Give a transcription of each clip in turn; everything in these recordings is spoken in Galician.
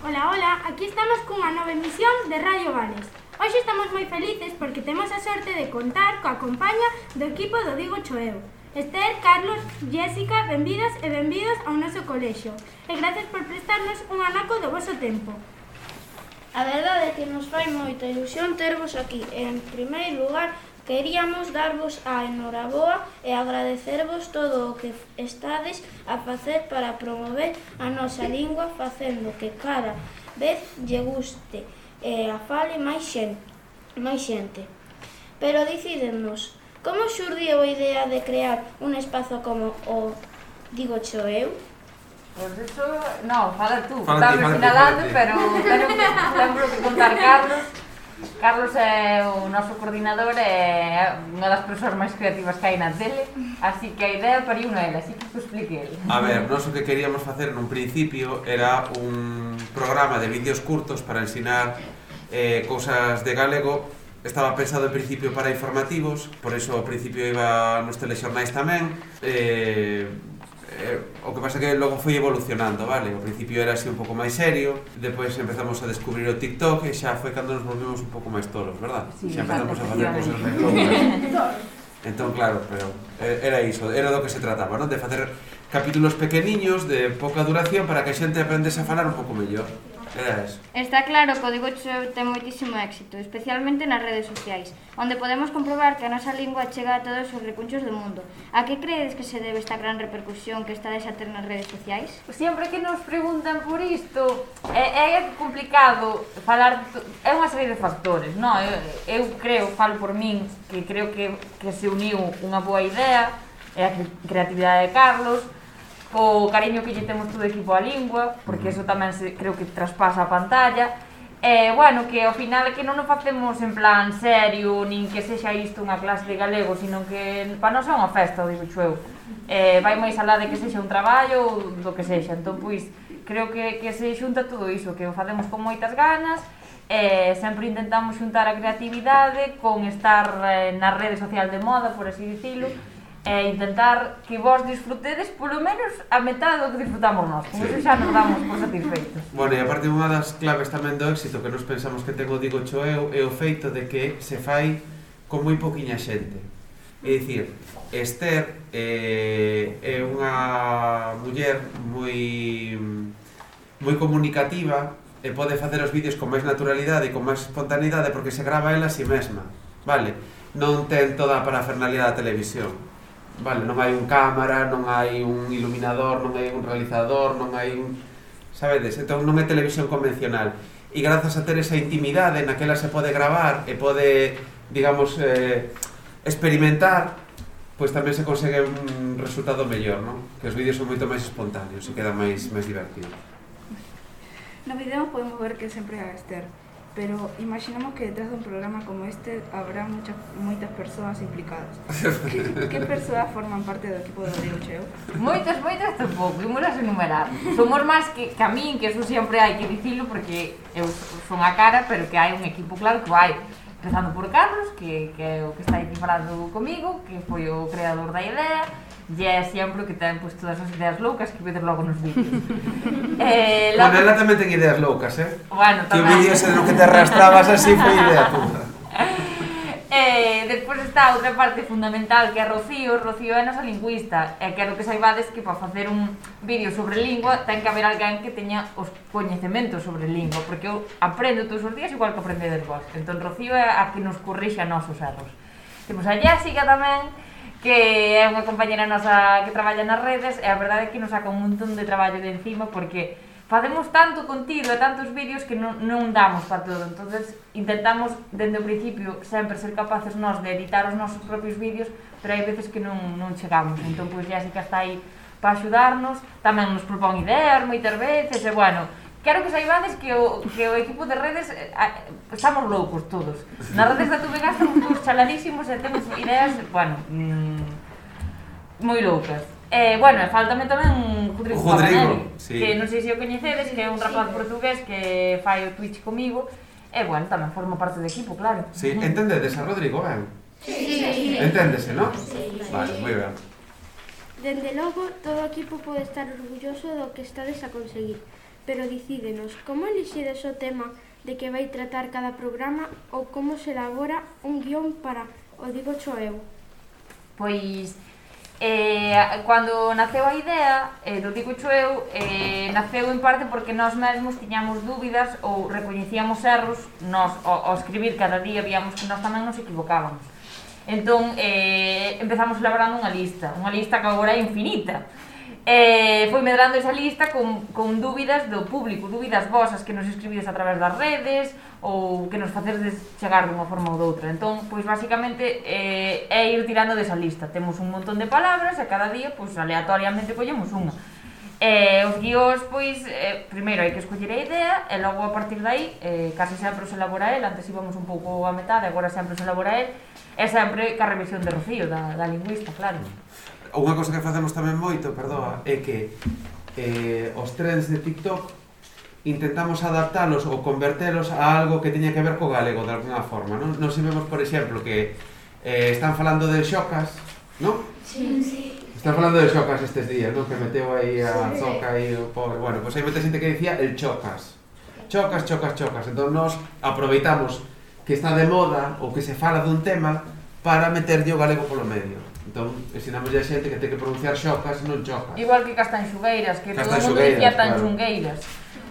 Ola, ola, aquí estamos cunha nova emisión de Radio Vales. Hoxe estamos moi felices porque temos a sorte de contar coa compaña do equipo do Digo Choeu. Esther, Carlos, Jéssica, benvidas e benvidos ao noso colexio. E gracias por prestarnos un anaco do voso tempo. A verdade é que nos fai moita ilusión tervos aquí. En primeiro lugar, queríamos darvos a enhoraboa e agradecervos todo o que estades a facer para promover a nosa lingua, facendo que cada vez lle guste e a fale máis xente. Pero dicídennos, como xurdiu a idea de crear un espazo como o Digo Choeu? Pois eso, non, fala tú, estás sinalando, pero lembro que contar Carlos. Carlos é o noso coordinador e é unha das persoas máis creativas que hai na tele, así que a idea pariu non era, así que te explique ele. A ver, nós o que queríamos facer nun principio era un programa de vídeos curtos para ensinar cousas de galego. Estaba pensado en principio para informativos, por eso ao principio iba nos telexornais tamén. O que pasa é que logo foi evolucionando, vale? Ao principio era así un pouco máis serio, depois empezamos a descubrir o TikTok e xa foi cando nos volvemos un pouco máis tolos, verdad? Sí, xa empezamos a facer cousas máis locas. Entón, claro, pero era iso, era do que se trataba, non? De facer capítulos pequeniños de pouca duración para que a xente aprendese a falar un pouco mellor. Era eso. Está claro que o Digo Choeu ten moitísimo éxito, especialmente nas redes sociais, onde podemos comprobar que a nosa lingua chega a todos os recunchos do mundo. A que credes que se debe esta gran repercusión que estades a ter nas redes sociais? Sempre que nos preguntan por isto, é complicado falar, é unha serie de factores, non? Eu creo, falo por min, que creo que se uniu unha boa idea, é a creatividade de Carlos, o cariño que lle temos todo o equipo á lingua, porque eso tamén creo que traspasa a pantalla. Bueno, que ao final que non o facemos en plan serio, nin que sexa isto unha clase de galego, sino que para nós é unha festa, o Digo Choeu. Vai máis alá de que sexa un traballo ou do que sexa, entón, pois, creo que se xunta todo iso, que o facemos con moitas ganas, sempre intentamos xuntar a creatividade con estar na rede social de moda, por así dicilo, e intentar que vos disfrutedes polo menos a metade do que disfrutamos nós, con eso xa nos damos por satisfeitos. Bueno, e aparte unha das claves tamén do éxito que nos pensamos que ten o Digo Choeu é o feito de que se fai con moi poquiña xente. É dicir, Esther é unha muller moi comunicativa e pode facer os vídeos con máis naturalidade e con máis espontaneidade porque se grava ela a si mesma, vale? Non ten toda a parafernalia da televisión. Vale, non hai un cámara, non hai un iluminador, non hai un realizador, non hai un... Sabedes? Entón non é televisión convencional. E grazas a ter esa intimidade na que ela se pode gravar e pode, digamos, experimentar, pois tamén se consegue un resultado mellor, non? Que os vídeos son moito máis espontáneos e quedan máis divertidos. No vídeo podemos ver que sempre é a Esther, pero imaginamos que detrás dun programa como este habrá moitas persoas implicadas. Que persoas forman parte do equipo do Digo Choeu? Moitas tampouco, imos a enumerar. Somos máis que a min, que eso sempre hai que dicilo, porque eu son a cara, pero que hai un equipo claro que vai. Empezando por Carlos, que é o que está aquí falando comigo, que foi o creador da idea, e é sempre o que ten pues, todas as ideas loucas que vedes logo nos vídeos. Bueno, ela tamén ten ideas loucas, Bueno, tamén. Que o vídeo ese no que te arrastrabas así foi idea tuya. Despois está outra parte fundamental que é Rocío. Rocío é a nosa lingüista, e quero que saibades que para facer un vídeo sobre lingua ten que haber alguén que teña os coñecementos sobre lingua, porque eu aprendo todos os días igual que aprendedes vos. Entón Rocío é a que nos corrixe a nosos erros. Temos a Jéssica tamén, que é unha compañera nosa que traballa nas redes, e a verdade é que nos saca un montón de traballo de encima, porque facemos tanto contido e tantos vídeos que non damos para todo. Entonces intentamos, dende o principio, sempre ser capaces nós de editar os nosos propios vídeos, pero hai veces que non chegamos. Entón, pois, Jéssica está aí para axudarnos, tamén nos propón ideas moitas veces, e, bueno, quero que saibades que o equipo de redes estamos loucos todos. Nas redes da TVG estamos todos chaladísimos e temos ideas, bueno, moi loucas. Bueno, faltame tamén Rodrigo Pavanelli, sí. Que non sei se o coñecedes, que é un rapaz portugués que fai o Twitch comigo, e, bueno, tamén forma parte do equipo, claro. Sí, entendedes a Rodrigo, ben? Sí. Enténdese, non? Sí. Vale, moi ben. Dende logo, todo o equipo pode estar orgulloso do que estades a conseguir. pero dicídenos, como elixides o tema de que vai tratar cada programa ou como se elabora un guión para o Dígocho eu? Pois, cando naceu a idea do Dígocho eu, naceu en parte porque nós mesmos tiñamos dúbidas ou recoñecíamos erros, nós ao escribir cada día víamos que nós tamén nos equivocábamos. Entón, empezamos elaborando unha lista que agora é infinita. Foi medrando esa lista con dúbidas do público, dúbidas vosas que nos escribides a través das redes ou que nos facedes chegar dunha forma ou doutra. Entón, pois basicamente é ir tirando desa lista. Temos un montón de palabras e cada día, pois aleatoriamente collemos unha. Os guións, pois, primeiro hai que escoller a idea e logo a partir de aí, case sempre os elabora el, antes íbamos un pouco a metade, agora sempre os elabora el, e sempre ca revisión de Rocío, da lingüista, claro. Unha cosa que facemos tamén moito, perdoa, é que os trends de TikTok intentamos adaptalos ou convertelos a algo que teña que ver co galego de alguna forma, non? Nos vemos, por exemplo, que están falando de xocas, non? Sí, sí. Están falando de xocas estes días, non? Que meteu aí a Zoca e o pobre... Bueno, pois hai moita xente que dicía el chocas. Chocas, chocas, chocas. Entón nos aproveitamos que está de moda ou que se fala dun tema para meterlle o galego polo medio. Entón, ensinamos a xente que ten que pronunciar xocas, non chocas. Igual que Castanxugueiras, que todo o mundo dicía Tanxungueiras.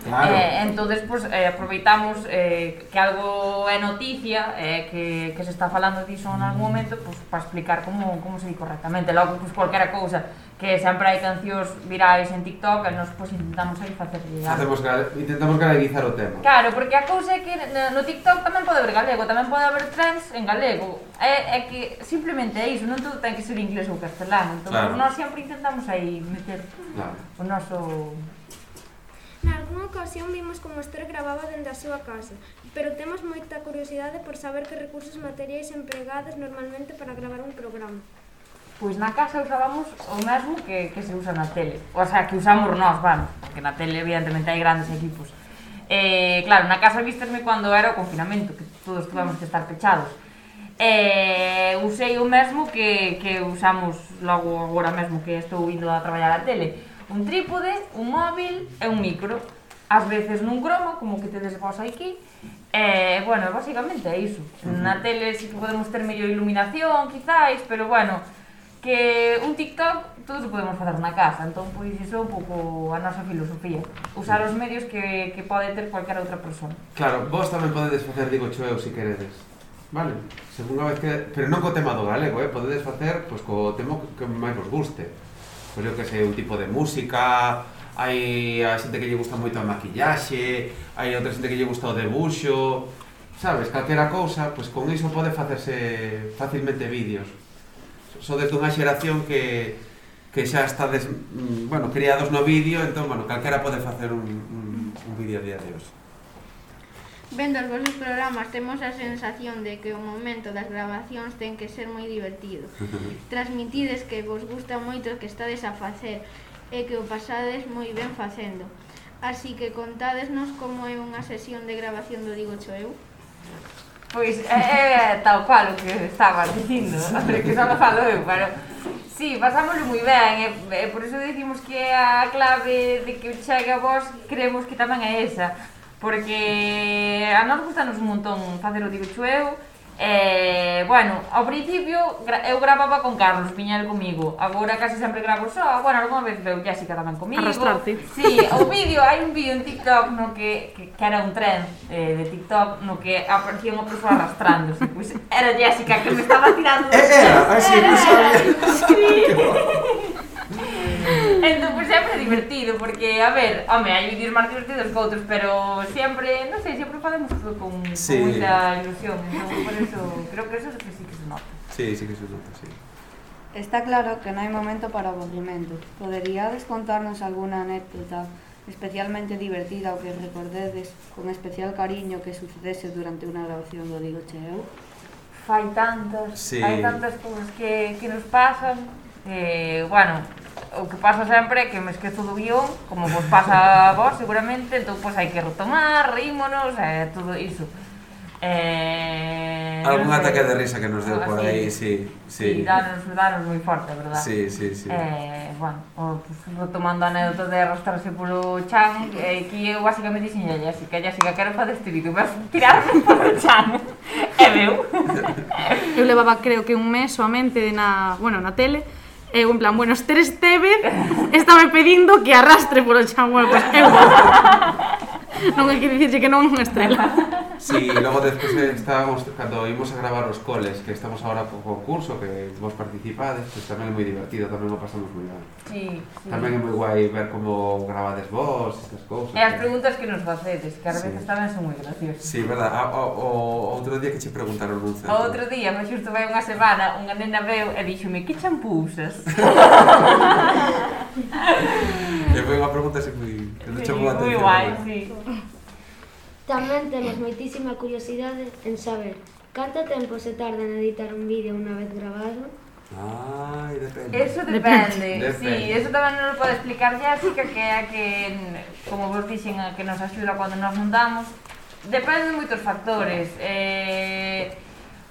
Claro. Entonces, pues, aproveitamos que algo é noticia, que se está falando diso en algún momento, pues, para explicar como se di correctamente. Logo, pues, cualquera cousa, que sempre hai cancións virais en TikTok, e nos pues, intentamos aí facer llegar. Intentamos galeguizar o tema. Claro, porque a cousa é que no TikTok tamén pode haber galego, tamén pode haber trends en galego. É que simplemente é iso, non todo ten que ser inglés ou castelán. Entón, claro, nós sempre intentamos aí meter o noso... Nalgúna ocasión vimos como Esther gravaba dende a súa casa, pero temos moita curiosidade por saber que recursos materiais empregados normalmente para gravar un programa. Pois na casa usábamos o mesmo que se usa na tele, o sea, que usamos nós, vamos, porque na tele evidentemente hai grandes equipos. Claro, na casa vístesme cando era o confinamento, que todos tuvamos que estar pechados. Usei o mesmo que usamos logo agora mesmo que estou indo a traballar a tele. Un trípode, un móvil e un micro. Ás veces nun croma, como que tedes vos aquí. Bueno, basicamente é iso. Na tele sí que podemos ter mellor iluminación, quizáis, pero bueno, que un TikTok todos o podemos facer na casa. Entón, pois, iso é un pouco a nosa filosofía. Usar os medios que pode ter cualquier outra persona. Claro, vos tamén podedes facer Dígocho eu, se queredes. Vale? Segunda vez que... Pero non co tema do galego, podedes facer pois, co tema que máis vos guste. Pois eu que sei, un tipo de música, hai a xente que lle gusta moito a maquillaxe, hai outra xente que lle gusta o debuxo, sabes, calquera cousa, pois con iso pode facerse facilmente vídeos. Sodes dunha xeración que xa estades, bueno, criados no vídeo, entón, bueno, calquera pode facer un vídeo a día de hoxe. Vendo os vosos programas temos a sensación de que o momento das grabacións ten que ser moi divertido. Transmitides que vos gusta moito o que estades a facer e que o pasades moi ben facendo. Así que contádesnos como é unha sesión de grabación do Dígocho eu. Pois é tal cual o que estabas dicindo, que só falo eu, pero sí, pasámoslo moi ben, e por iso decimos que a clave de que chegue a vos creemos que tamén é esa. Porque a nos gustanos un montón facer o Dígocho eu. Bueno, ao principio eu gravaba con Carlos, viña el comigo. Agora casi sempre gravo só. Bueno, algunha vez veu Jessica tamén comigo. Arrastrarte. Sí, o vídeo, hai un vídeo en TikTok no que era un trend de TikTok no que aparecía unha persoa arrastrándose. Pois era Jessica que me estaba tirando. Era, así, non sabía. Sí. Entón, pois sempre é divertido, porque, a ver, home, hai vídeos máis divertidos que outros, pero sempre, non sei, sempre facemos todo con moita ilusión, entón, por eso, creo que eso sí que se nota. Sí, sí que se nota, sí. Está claro que non hai momento para aburrimento. Poderíades contarnos algunha anécdota especialmente divertida ou que recordedes con especial cariño que sucedese durante unha grabación do Dígocho eu? Hai tantas cousas que nos pasan, bueno, o que pasa sempre é que me esquezo do guión, como vos pasa a vos seguramente, entón pois hai que retomar, rímonos, todo iso. Algún ataque de risa que nos deu por aí, sí. Sí, danos moi forte, verdad? Sí. Bueno, pues, retomando a anécdota de arrastrarse polo chan, que eu basicamente dixen a Jessica, quero fazer este vídeo, vas tirarme polo chan. E veu. Eu levaba, creo que un mes soamente na tele, e eu en plan, bueno, Esther Estevez estaba pedindo que arrastre polo chan, bueno, pues eu non hai que dicirche que non é unha estrela. Sí, logo despois estábamos, cando ímos a gravar os coles, que estamos agora co concurso, que vos participades, pues tamén é moi divertido, tamén o pasamos moi ben. Sí. Tamén é moi guai ver como gravades vos, estas cousas. E as preguntas que nos facedes, que ás veces tamén son moi graciosas. Sí, verdad, o outro día que che preguntaron nun centro. O outro día, mas xusto vai unha semana, unha nena veu e díxome, que champú usas? E foi unha pregunta así moi... Sí, moi guai, sí. Tamén temos moitísima curiosidade en saber canto tempo se tarda en editar un vídeo unha vez grabado. Ai, depende. Eso depende. Sí, eso tamén nos pode explicar Jessica, que é a que, como vos dixen, a que nos axuda cando nos montamos. Depende de moitos factores.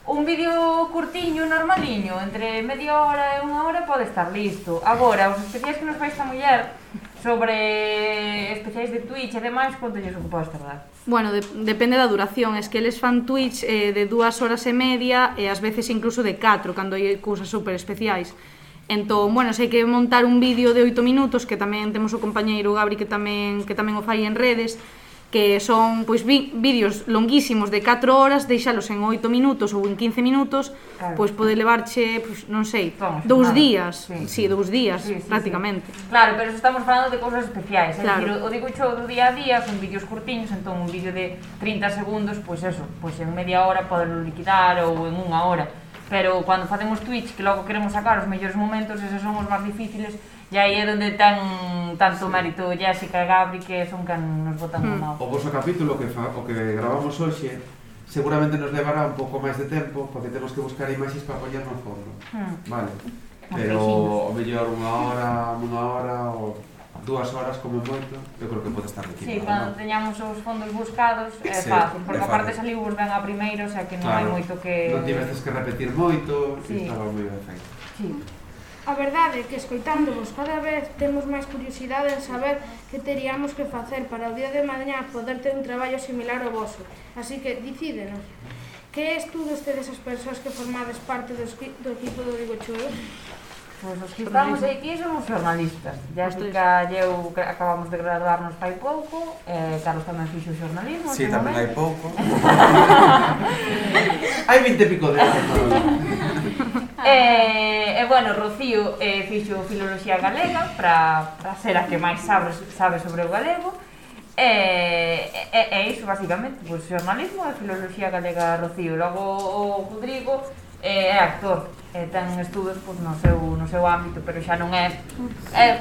Un vídeo curtiño, normaliño, entre media hora e unha hora pode estar listo. Agora, os especiais que nos fai esta muller sobre especiais de Twitch e demais, quanto lles ocupa tardar? Bueno, depende da duración, es que eles fan Twitch de 2 horas e media e ás veces incluso de 4, cando hai cousas super especiais. Entón, bueno, se hai que montar un vídeo de 8 minutos, que tamén temos o compañeiro Gabri que tamén o fai en redes, que son pois vídeos longuísimos de 4 horas, deixalos en 8 minutos ou en 15 minutos, claro. Pois pode levarche, pois, non sei, 2 días, sí, 2 días, prácticamente. Sí. Claro, pero estamos falando de cousas especiais, claro. É dicir, o digo xo do día a día son vídeos curtiños, entón un vídeo de 30 segundos, pois eso, pois en media hora podelo liquidar ou en unha hora. Pero cando facemos Twitch, que logo queremos sacar os mellores momentos, eses son os máis difíciles, e aí é onde ten tanto mérito Jessica e Gabri, que son quen nos botan a mão. O vosso capítulo, que gravamos hoxe, seguramente nos levará un pouco máis de tempo, porque temos que buscar imaxes para poñer no fondo. Vale. Pero o mellor unha hora ou 2 horas como moito, eu creo que pode estar equipado. Sí, cando teñamos os fondos buscados é fácil, porque aparte saliu ben a primeiro, o sea que non hai moito que... Non tiveces que repetir moito, e estaba moi ben feito. Sí. A verdade é que, escoitándovos cada vez, temos máis curiosidade en saber que teríamos que facer para o día de mañá poder ter un traballo similar ao voso. Así que, dicídenos, que estudos tedes as persoas que formades parte do equipo do Digo Choeu? Pois os que estamos aquí somos xornalistas. Jessica e eu acabamos de graduarnos fai pouco, Carlos tamén fixo xornalismo. Sí, tamén hai pouco. Hai 20 e pico de anos. E bueno, Rocío fixo Filoloxía Galega para ser a que máis sabe sobre o galego. E iso, basicamente, pois xornalismo e Filoloxía Galega Rocío. Logo o Rodrigo é actor, ten estudos pois, no seu ámbito, pero xa non é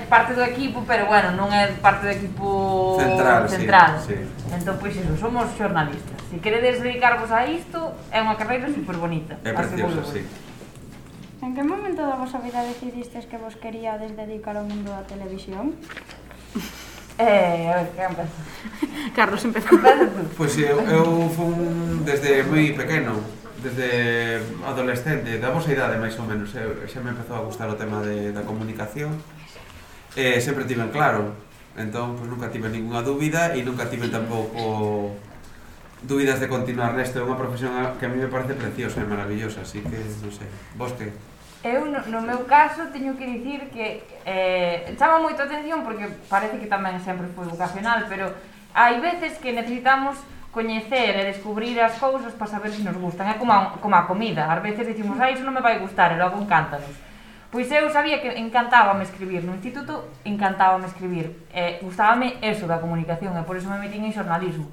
parte do equipo, pero bueno, non é parte do equipo central. Sí. Entón, pois iso, somos xornalistas. Se queredes dedicarvos a isto, é unha carreira super bonita. É preciosa, sí. En que momento da vosa vida decidistes que vos queríades dedicar ao mundo da televisión? A ver, que empeza? Carlos, empeza. Pois eu fui desde moi pequeno, desde adolescente, da vosa idade máis ou menos, xa me empezou a gustar o tema da comunicación. Sempre tiven claro, entón nunca tive ninguna dúbida e nunca tive tampouco dúbidas de continuar nesto. É unha profesión que a mí me parece preciosa e maravillosa, así que, non sei, vos que? Eu, no meu caso, teño que dicir que chama moito a atención porque parece que tamén sempre foi vocacional, pero hai veces que necesitamos coñecer e descubrir as cousas para saber se nos gustan. É como a comida, ás veces dicimos, iso non me vai gustar, e logo encántanos. Pois eu sabía que encantábame escribir, no instituto encantábame escribir, gustábame eso da comunicación, e por iso me metín en xornalismo.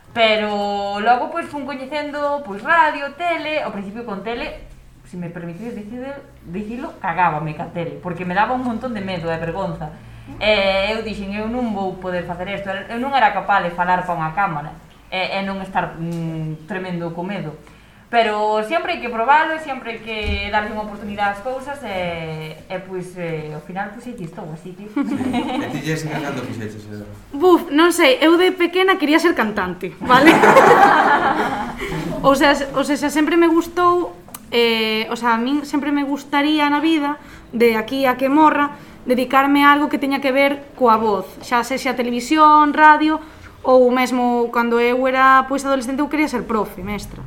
Pero logo pois fun coñecendo pois radio, tele, ao principio con tele, se me permitides dicilo, cagábame ca tele, porque me daba un montón de medo e vergonza. Eu dixen, eu non vou poder facer isto, eu non era capaz de falar para unha cámara e non estar tremendo co medo. Pero sempre hai que probalo e sempre hai que darlle unha oportunidade ás cousas e pois, ao final, pois, aquí estou, así que... E ti, Jessica, cando fixeches? Buf, non sei, eu de pequena quería ser cantante, vale? O sea, sempre me gustou, o sea, a min sempre me gustaría na vida, de aquí a que morra, dedicarme a algo que teña que ver coa voz, xa sexa televisión, radio, ou mesmo cando eu era pois adolescente eu quería ser profe, mestra.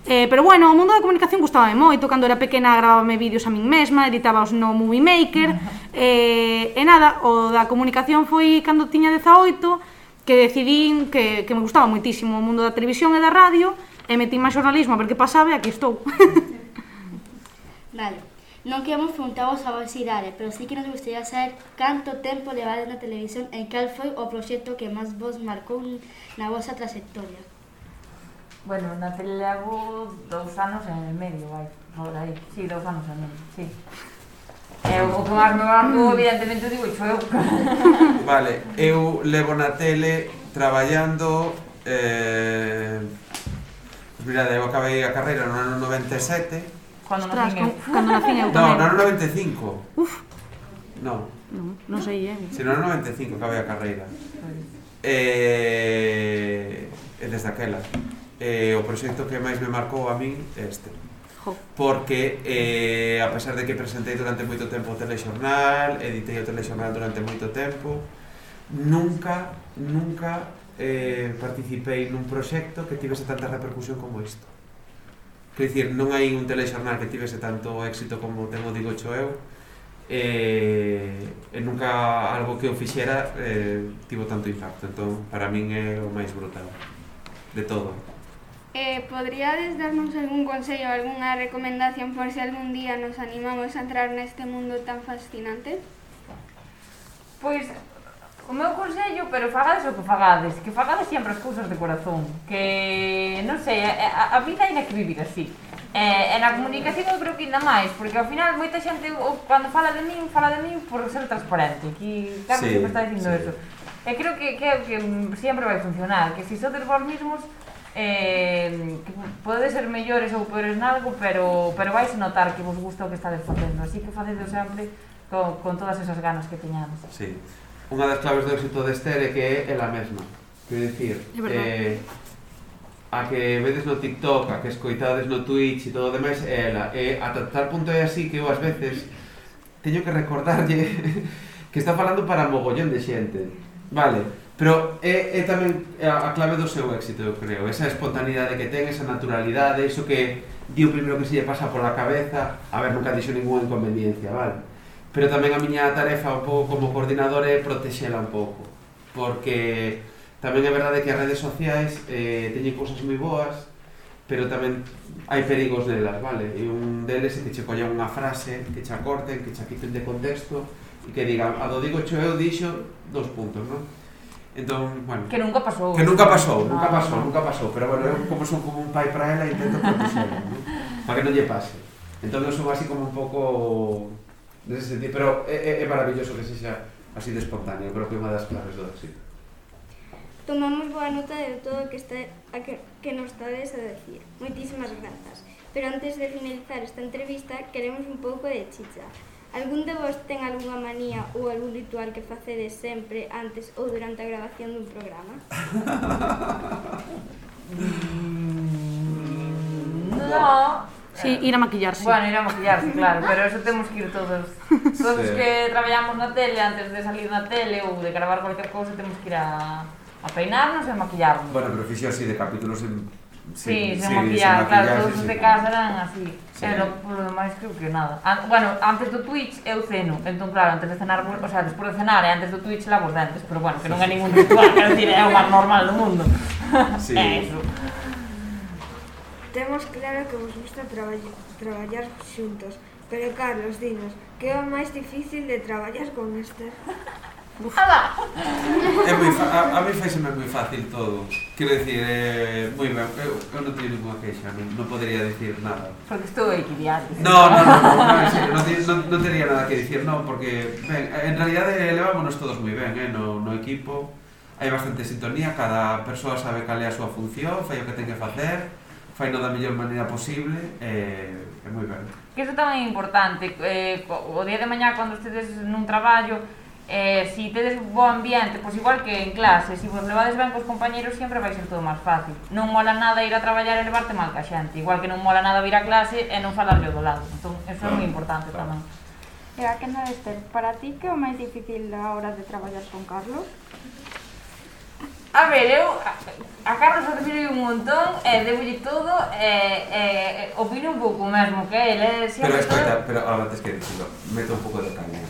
Pero bueno, o mundo da comunicación gustábame moito, cando era pequena gravábame vídeos a min mesma, editábaos no Movie Maker, e nada, o da comunicación foi cando tiña 18, que decidín que me gustaba moitísimo o mundo da televisión e da radio, e metí máis xornalismo a ver que pasaba e aquí estou. Vale, non queremos preguntarvos a vosa idade, pero sí que nos gustaría saber canto tempo levades na televisión e cal foi o proxecto que máis vos marcou na vosa trayectoria. Bueno, na tele levo 2 anos e medio, vai, por aí. Sí, 2 anos e medio, sí. O que máis me marcou, evidentemente, digo, eu. Vale, eu levo na tele traballando... Mira, eu acabei a carreira no ano 97. Cando nacín eu. Cando nacín eu No, tamén. no ano 95. Uf. No. Non sei, Si, no ano 95 acabei a carreira. E desde aquela. O proxecto que máis me marcou a min é este. Porque, a pesar de que presentei durante moito tempo o telexornal, editei o telexornal durante moito tempo, nunca participei nun proxecto que tivese tanta repercusión como isto. Quer dicir, non hai un telexornal que tivese tanto éxito como ten o Digo Cho Eu, e nunca algo que eu fixera tivo tanto impacto. Entón, para min é o máis brutal de todo. Podríades darnos algún consello ou algunha recomendación por se algún día nos animamos a entrar neste mundo tan fascinante? Pois, o meu consello, pero fagades o que fagades sempre as cousas de corazón, que, non sei, a vida hai que vivir así. E na comunicación eu creo que ainda máis, porque ao final moita xente, cando fala de min por ser transparente, que Carlos sempre está dicindo eso. E creo que sempre vai funcionar, que se sodes vos mismos, que podedes ser mellores ou peores nalgo, pero vais notar que vos gusta o que estades facendo, así que facedlo sempre con todas esas ganas que teñades. Sí. Unha das claves do éxito de Esther é que é ela mesma. Quero dicir, a que vedes no TikTok, a que escoitades no Twitch e todo o demais é ela. E ata tal punto é así que eu ás veces teño que recordarlle que está falando para mogollón de xente. Vale, pero é tamén a clave do seu éxito, eu creo. Esa espontaneidade que ten, esa naturalidade, iso que di o primeiro que se lle pasa pola cabeza. A ver, nunca dixo ninguna inconveniencia, vale? Pero tamén a miña tarefa un pouco como coordinador é protexela un pouco, porque tamén é verdade que as redes sociais teñen cousas moi boas, pero tamén hai perigos nelas, vale? E un deles é que che collan unha frase, que che acorten, que che quiten de contexto e que digan, a do Digo Cho Eu dixo 2 puntos, non? Entón, bueno... Que nunca pasou. Que nunca pasou, pero bueno, eu como son como un pai para ela intento protexela, non? Para que non lle pase. Entón eu son así como un pouco... nese sentido, pero é maravilloso que sexa así de espontáneo, creo que é unha das claves do éxito. Tomamos boa nota de todo o que nos estades a decir. Moitísimas grazas. Pero antes de finalizar esta entrevista, queremos un pouco de chicha. Algún de vos ten algunha manía ou algún ritual que facedes sempre antes ou durante a grabación dun programa? No. Sí, ir a maquillarse. Bueno, ir a maquillarse, claro, pero eso temos que ir todos os que traballamos na tele, antes de salir na tele ou de gravar cualquier cousa, temos que ir a peinarnos e a maquillarnos. Bueno, pero fixo así de capítulos sin maquillar, claro, todos os de casa eran así. Pero, por lo demais, creo que nada. Bueno, antes do Twitch eu ceno, entón, claro, antes de cenar, o sea, despois de cenar e antes do Twitch lavo os dentes, pero bueno, que non é ningún ritual, quero dicir, é o máis normal do mundo. É eso. Temos claro que vos gusta traballar xuntos, pero Carlos, dinos, que é o máis difícil de traballar con Esther? A mí faiseme moi fácil todo. Quero dicir, moi ben, eu non teño ninguna queixa, non podería dicir nada. Porque estou aquí diario. No, en serio, non tería nada que dicir, non, porque, ben, en realidade levámonos todos moi ben, no equipo. Hai bastante sintonía, cada persoa sabe cal é a súa función, fai o que ten que facer, faino da mellor maneira posible, é moi ben. Que iso tamén é importante, o día de mañá, cando estedes nun traballo, si tedes bo ambiente, pois igual que en clase, se vos levades ben cos compañeros sempre vai ser todo máis fácil. Non mola nada ir a traballar e levarte mal ca xente, igual que non mola nada vir a clase e non falarlle do lado. Entón, eso é moi importante tamén. E a que non, Esther, para ti que é o máis difícil a hora de traballar con Carlos? A ver, eu a Carlos admiro un montón e debolle todo e opino un pouco mesmo que ele Pero escoita, pero ahora tes que dicirlo, mete un pouco de caña.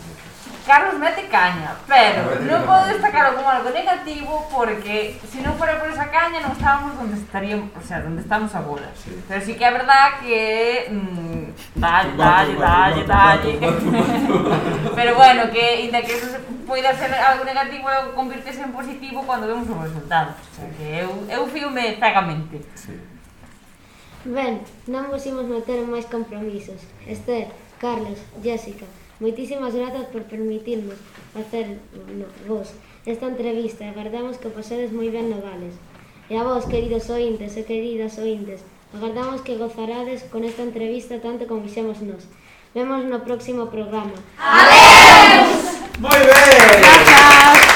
Carlos mete caña, pero non podo destacarlo como algo negativo porque se non fora por esa caña non estábamos onde estaríamos, o sea, onde estamos agora. Sí. Pero sí que é verdad que dalle. Pero bueno, que inda que eso poida ser algo negativo, convirtese en positivo cando vemos os resultados. Que eu fíome cegamente. Sí. Ben, non vos imos meter en máis compromisos. Esther, Carlos, Jessica, moitísimas grazas por permitirnos facer vos esta entrevista e agardamos que pasedes moi ben no Vales. E a vos, queridos ointes e queridas ointes, agardamos que gozarades con esta entrevista tanto como fixemos nós. Vemos no próximo programa. Moi ben! Grazas!